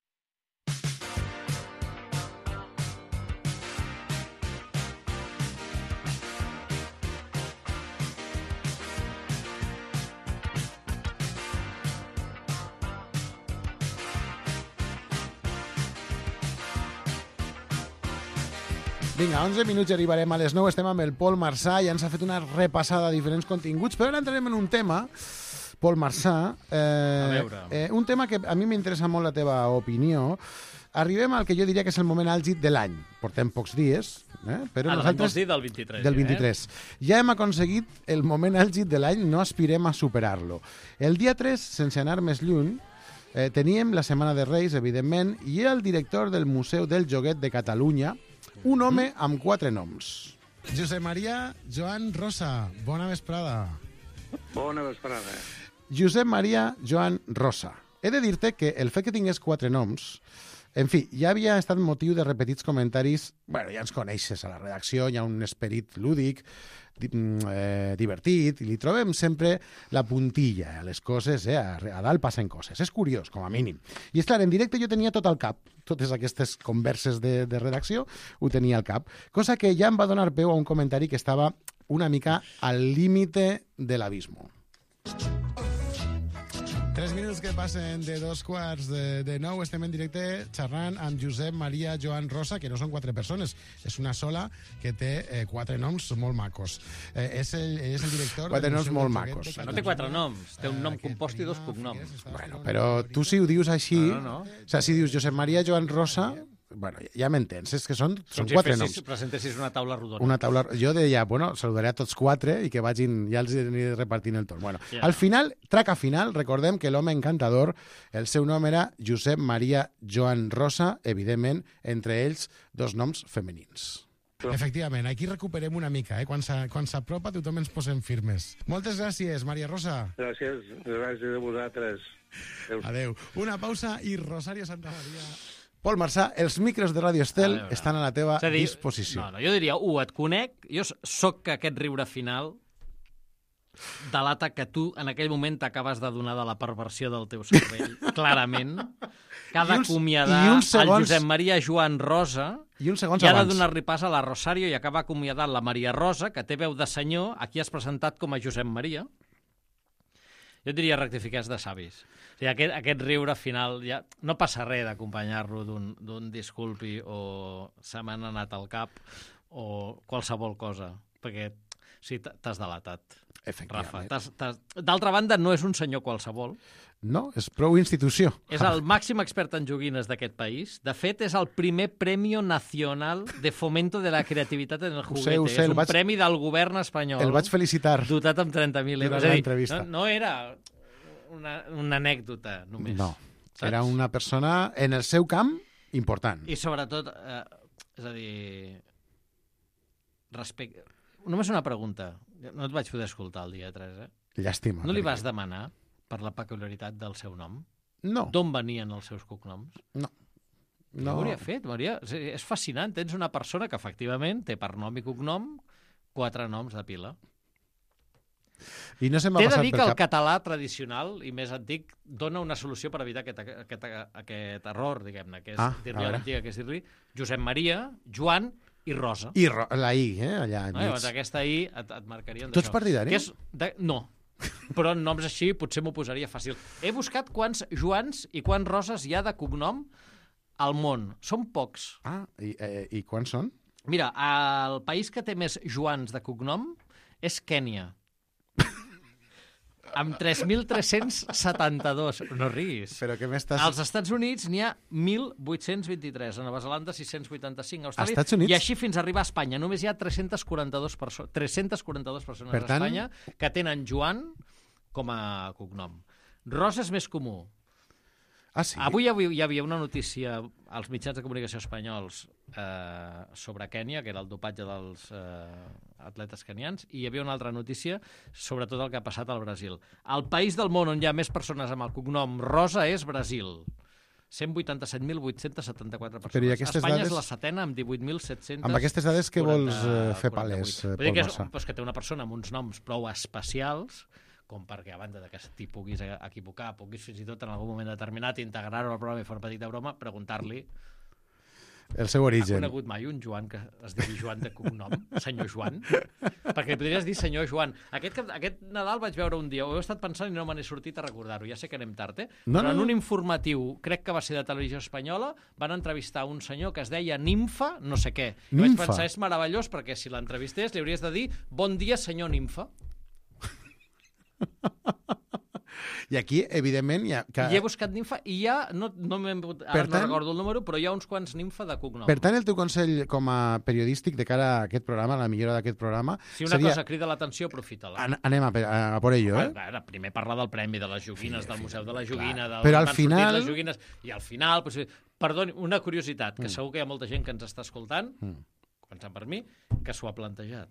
Vinga, onze minuts i arribarem a les nou. Estem amb el Pol Marsà i ens ha fet una repassada de diferents continguts, però ara entrarem en un tema, Pol Marsà, eh, eh, un tema que a mi m'interessa molt la teva opinió. Arribem al que jo diria que és el moment àlgid de l'any. Portem pocs dies, eh? però ah, nosaltres... dir del vint-i-tres. Del vint-i-tres. Eh? Ja hem aconseguit el moment àlgid de l'any, no aspirem a superar-lo. El dia tres, sense anar més lluny, eh, teníem la Setmana de Reis, evidentment, i el director del Museu del Joguet de Catalunya, un home amb quatre noms. Josep Maria Joan Rosa, bona vesprada. Bona vesprada. Josep Maria Joan Rosa. He de dir-te que el fet que tingués quatre noms, en fi, ja havia estat motiu de repetits comentaris. Bueno, ja ens coneixes a la redacció, hi ha un esperit lúdic, eh, divertit, i li trobem sempre la puntilla a les coses, eh? a, a dalt passen coses. És curiós, com a mínim. I és clar, en directe jo tenia tot al cap, totes aquestes converses de, de redacció ho tenia al cap, cosa que ja em va donar peu a un comentari que estava una mica al límite de l'abismo. Tres minuts que passen de dos quarts de, de nou. Estem en directe xerrant amb Josep Maria Joan Rosa, que no són quatre persones, és una sola que té eh, quatre noms molt macos. Eh, és, el, és el director... Quatre noms molt macos. No té quatre noms, té un nom compost i dos cognoms. Bueno, però tu si ho dius així... No, no, no. O sigui, si dius Josep Maria Joan Rosa... Bueno, ja m'entens, és que són, són quatre noms. Si presentessis una taula rodona. Una taula... Jo deia, bueno, saludaré a tots quatre i que vagin, ja els aniré repartint el torn. Bueno, yeah. Al final, traca final, recordem que l'home encantador, el seu nom era Josep Maria Joan Rosa, evidentment, entre ells dos noms femenins. Efectivament, aquí recuperem una mica, eh? Quan s'apropa tothom ens posem firmes. Moltes gràcies, Maria Rosa. Gràcies, gràcies a vosaltres. Adéu. Adéu. Una pausa i Rosario Santa Maria... Pol Marsà, els micros de Ràdio Estel a estan a la teva a dir, disposició. No, no, jo diria, u, et conec, jo soc aquest riure final delata que tu en aquell moment t'acabes de donar de la perversió del teu cervell, clarament. Que ha d'acomiadar el Josep Maria Joan Rosa i, un i ha de donar-li pas a la Rosario i acaba acomiadant la Maria Rosa, que té veu de senyor, aquí has presentat com a Josep Maria. Jo diria rectificar de savis. O sigui, aquest, aquest riure final, ja no passa res d'acompanyar-lo d'un disculpi o se m'han anat al cap o qualsevol cosa, perquè sí, t'has delatat, Rafa. D'altra banda, no és un senyor qualsevol. No, és prou institució. És el màxim expert en joguines d'aquest país. De fet, és el primer Premio Nacional de Fomento de la Creativitat en el Juguete. Sé, sé, és un vaig... premi del govern espanyol. El vaig felicitar. Dotat amb trenta mil euros. Durant l'entrevista. No, no era una, una anècdota, només. No, saps? Era una persona en el seu camp important. I sobretot, eh, és a dir, respecte... Només una pregunta. No et vaig poder escoltar el dia tres, eh? Llàstima. No li vas demanar per la peculiaritat del seu nom? No. D'on venien els seus cognoms? No. No ho hauria fet, Maria. És fascinant. Tens una persona que efectivament té per nom i cognom quatre noms de pila. I no se m'ha T'he de passat dir per que el cap... català tradicional i més antic dona una solució per evitar aquest, aquest, aquest error, diguem-ne, que és Ah, dir-li a a veure. l'antiga, que és dir-li Josep Maria, Joan i Rosa. I ro... la I, eh, allà No, enmig. llavors aquesta I et, et marcarien Tu ets partidari? Que és de... No, però en noms així potser m'ho posaria fàcil. He buscat quants Joans i quants Roses hi ha de cognom al món. Són pocs. Ah, i, eh, i quants són? Mira, el país que té més Joans de cognom és Kènia. Amb tres mil tres-cents setanta-dos. No riguis. Però què m'estàs... Als Estats Units n'hi ha mil vuit-cents vint-i-tres, a Nova Zelanda sis-cents vuitanta-cinc, a Austràlia... Estats Units? I així fins a arribar a Espanya. Només hi ha tres-cents quaranta-dos perso tres-centes quaranta-dos persones Per tant... a Espanya que tenen Joan com a cognom. Rosa és més comú. Ah, sí? Avui hi havia, hi havia una notícia als mitjans de comunicació espanyols eh, sobre Kènia, que era el dopatge dels eh, atletes kenians, i hi havia una altra notícia sobre tot el que ha passat al Brasil. El país del món on hi ha més persones amb el cognom Rosa és Brasil. cent vuitanta-set mil vuit-cents setanta-quatre persones. Però i aquestes Espanya dades... és la setena amb divuit mil set-cents Amb aquestes dades que vols eh, fer palès, eh, Vull dir Pol que, és, Marsà? doncs que té una persona amb uns noms prou especials com perquè, a banda de que t'hi puguis equivocar, puguis fins i tot en algun moment determinat integrar-ho al programa i fer una petita broma, preguntar-li... El seu origen. Ha conegut mai un Joan que es digui Joan de cognom? Senyor Joan? Perquè podries dir senyor Joan. Aquest, aquest Nadal vaig veure un dia, ho he estat pensant i no me n'he sortit a recordar-ho, ja sé que anem tard, eh? No, Però no, en no. un informatiu, crec que va ser de Televisió Espanyola, van entrevistar un senyor que es deia Nimfa, no sé què. I vaig Nimfa. pensar, és meravellós, perquè si l'entrevistés li hauries de dir bon dia, senyor Nimfa. I aquí, evidentment, hi ha... Que... I he buscat Nimfa i hi ha, no, no, ara Per no tant- recordo el número, però hi ha uns quants Nimfa de cognom. Per tant, el teu consell com a periodístic de cara a aquest programa, a la millora d'aquest programa... Si una seria... cosa crida l'atenció, aprofita-la. An anem a, a, a por ello, eh? Ara, primer parlar del premi, de les joguines, Sí, del sí, Museu de la Joguina, del Però al on han sortit final- les joguines, i al final... Pues, perdoni, una curiositat, que Mm. segur que hi ha molta gent que ens està escoltant, Mm. començant per mi, que s'ho ha plantejat.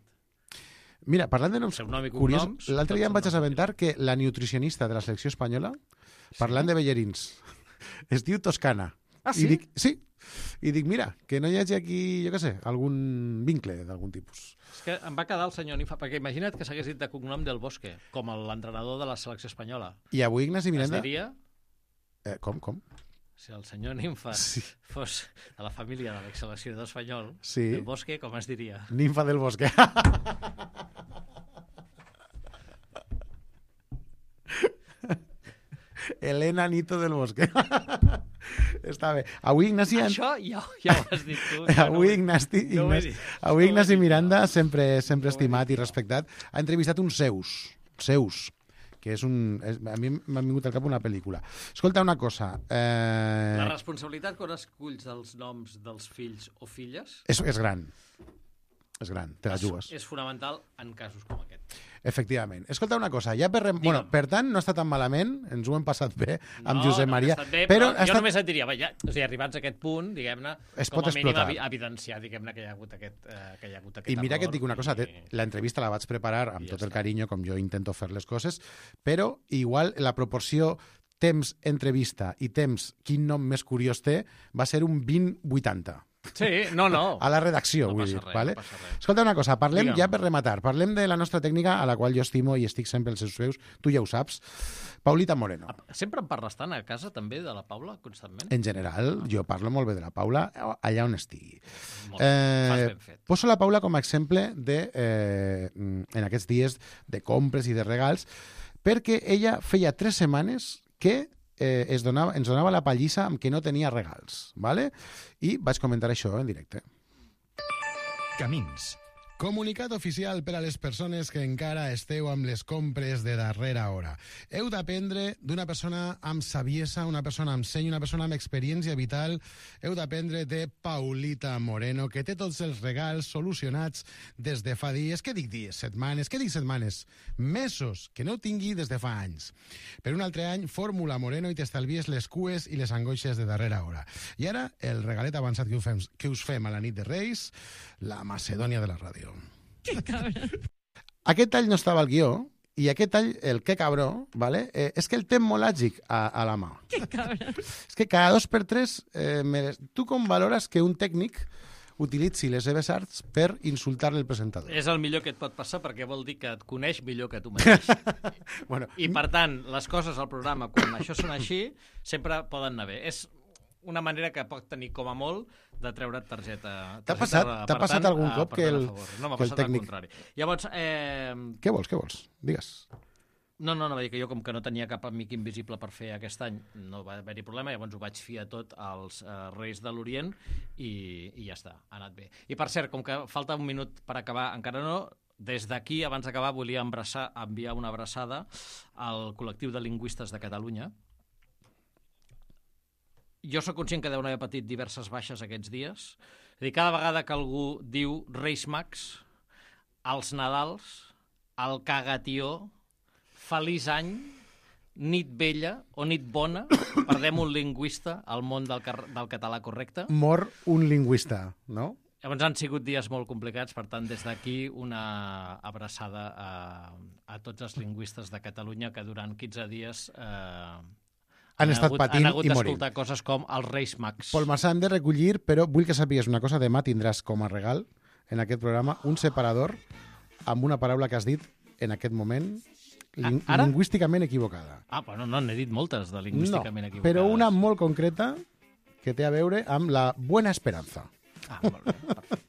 Mira, parlant de noms Seu nom i curiosos, cognoms, l'altre dia tots em vaig són assabentar que la nutricionista de la selecció espanyola, parlant de ballarins, es diu Toscana. Ah, sí? I dic, sí. I dic, mira, que no hi hagi aquí, jo què sé, algun vincle d'algun tipus. És que em va quedar el senyor Nimfa, perquè imagina't que s'hagués dit de cognom del Bosque, com l'entrenador de la selecció espanyola. I avui Ignasi Miranda... Es diria, Eh, com, com? si el senyor Nimfa Sí. fos de la família de l'exseleccionador espanyol, Sí. del Bosque, com es diria? Ninfa del bosque. Elena Nito del Bosque. Està bé. Avui, Ignasi... Això ja, ja ho has dit tu. Avui Ignasi, no ho he Ignasi, dit. avui No ho he Ignasi dit, Miranda, no. sempre, sempre No ho he estimat dit, i respectat, ha entrevistat uns seus. Seus. Que és un... És, a mi m'ha vingut al cap una pel·lícula. Escolta, una cosa. Eh, La responsabilitat quan esculls els noms dels fills o filles és, és gran. És gran, te la és, jugues. és fonamental en casos com aquest. Efectivament. Escolta una cosa, ja per... Rem... Bueno, per tant, no està tan malament, ens ho hem passat bé amb no, Josep no, Maria. ha estat bé, però però ha jo estat... només et diria, ja, o sigui, arribats a aquest punt, diguem-ne, Es com pot a mínim explotar. evi evidenciar, diguem-ne, que hi ha hagut aquest, eh, que hi ha hagut aquest I mira que et error dic una cosa, i- te- l'entrevista la vaig preparar amb i ja tot el està. carinyo, com jo intento fer les coses, però igual la proporció temps-entrevista i temps quin nom més curiós té va ser un vint vuitanta. Sí, no, no. A la redacció, No vull passa dir. res, vale? no passa res. Escolta una cosa, parlem Digue'm. ja per rematar, parlem de la nostra tècnica, a la qual jo estimo i estic sempre als seus peus, tu ja ho saps, Paulita Moreno. Sempre em parles tant a casa, també, de la Paula, constantment? En general, jo parlo molt bé de la Paula allà on estigui. Molt bé, fas ben fet. Poso la Paula com a exemple de, eh, en aquests dies de compres i de regals, perquè ella feia tres setmanes que eh, es donava, ens donava la pallissa amb que no tenia regals, ¿vale? I vaig comentar això en directe. Camins. Comunicat oficial per a les persones que encara esteu amb les compres de darrera hora. Heu d'aprendre d'una persona amb saviesa, una persona amb seny, una persona amb experiència vital. Heu d'aprendre de Paulita Moreno, que té tots els regals solucionats des de fa dies. Què dic dies? Setmanes? Què dic setmanes? Mesos, que no tingui des de fa anys. Per un altre any, fórmula Moreno i t'estalvies les cues i les angoixes de darrera hora. I ara, el regalet avançat que us fem, que us fem a la nit de Reis, la Macedònia de la ràdio. Que cabra. Aquest tall no estava al guió, i aquest tall, el que cabró, ¿vale? eh, és que el té molt àgic a, a la mà. Que cabra. És que cada dos per tres... Eh, mere... Tu com valores que un tècnic utilitzi les seves arts per insultar el presentador? És el millor que et pot passar perquè vol dir que et coneix millor que tu mateix. Bueno, I, per tant, les coses al programa, quan això són així, sempre poden anar bé. És una manera que pot tenir com a molt de treure't targeta. T'ha passat, t'ha passat algun cop que el, no m'ha que el passat tècnic... al contrari. Llavors, eh... Què vols, què vols? Digues. No, no, no, va dir que jo com que no tenia cap amic invisible per fer aquest any, no va haver-hi problema, llavors ho vaig fiar tot als eh, Reis de l'Orient i, i ja està, ha anat bé. I per cert, com que falta un minut per acabar, encara no, des d'aquí, abans d'acabar, volia abraçar, enviar una abraçada al col·lectiu de lingüistes de Catalunya. Jo sóc conscient que deuen haver patit diverses baixes aquests dies. És a dir, cada vegada que algú diu Reis Mags, els Nadals, el Cagatió, Feliç any, nit vella o nit bona, perdem un lingüista al món del, del català correcte. Mor un lingüista, no? Llavors han sigut dies molt complicats, per tant, des d'aquí una abraçada a, a tots els lingüistes de Catalunya que durant quinze dies... Eh, han, han estat hagut, patint han hagut i morint. d'escoltar coses com els Reis Mags. Pol Marsà, hem de recollir, però vull que sàpigues una cosa. Demà tindràs com a regal en aquest programa un separador amb una paraula que has dit en aquest moment ling Ara? lingüísticament equivocada. Ah, bueno, no, n'he dit moltes de lingüísticament no, equivocades. Però una molt concreta que té a veure amb la Buena Esperanza. Ah, molt bé, perfecte.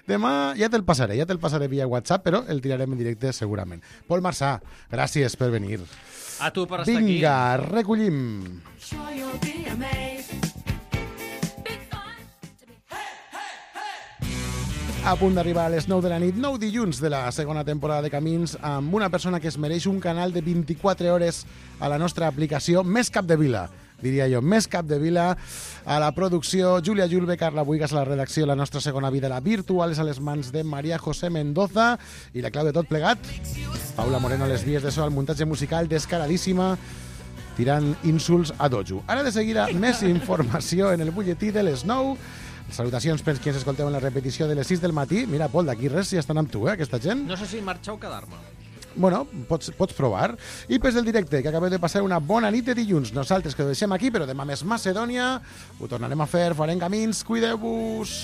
Demà ja te'l passaré, ja te'l passaré via WhatsApp, però el tirarem en directe segurament. Pol Marsà, gràcies per venir. A tu per estar aquí. Vinga, recollim. A punt d'arribar a les nou de la nit, nou dilluns de la segona temporada de Camins, amb una persona que es mereix un canal de vint-i-quatre hores a la nostra aplicació, més capdevila, diria jo, més capdevila. A la producció, Júlia Julve, Carla Buigas a la redacció, la nostra segona vida, la virtual, és a les mans de Maria José Mendoza, i la clau de tot plegat, Paula Moreno a les vies de so, al muntatge musical, descaradíssima, tirant insults a dojo. Ara de seguida, més informació en el butlletí de les nou. Salutacions per qui ens escolteu en la repetició de les sis del matí. Mira, Pol, d'aquí res, si estan amb tu, eh, aquesta gent. No sé si marxar o quedar-me. Bueno, pots, pots provar. I pes del directe, que acabeu de passar una bona nit de dilluns. Nosaltres que ho deixem aquí, però demà més Macedònia. Ho tornarem a fer, farem camins. Cuideu-vos.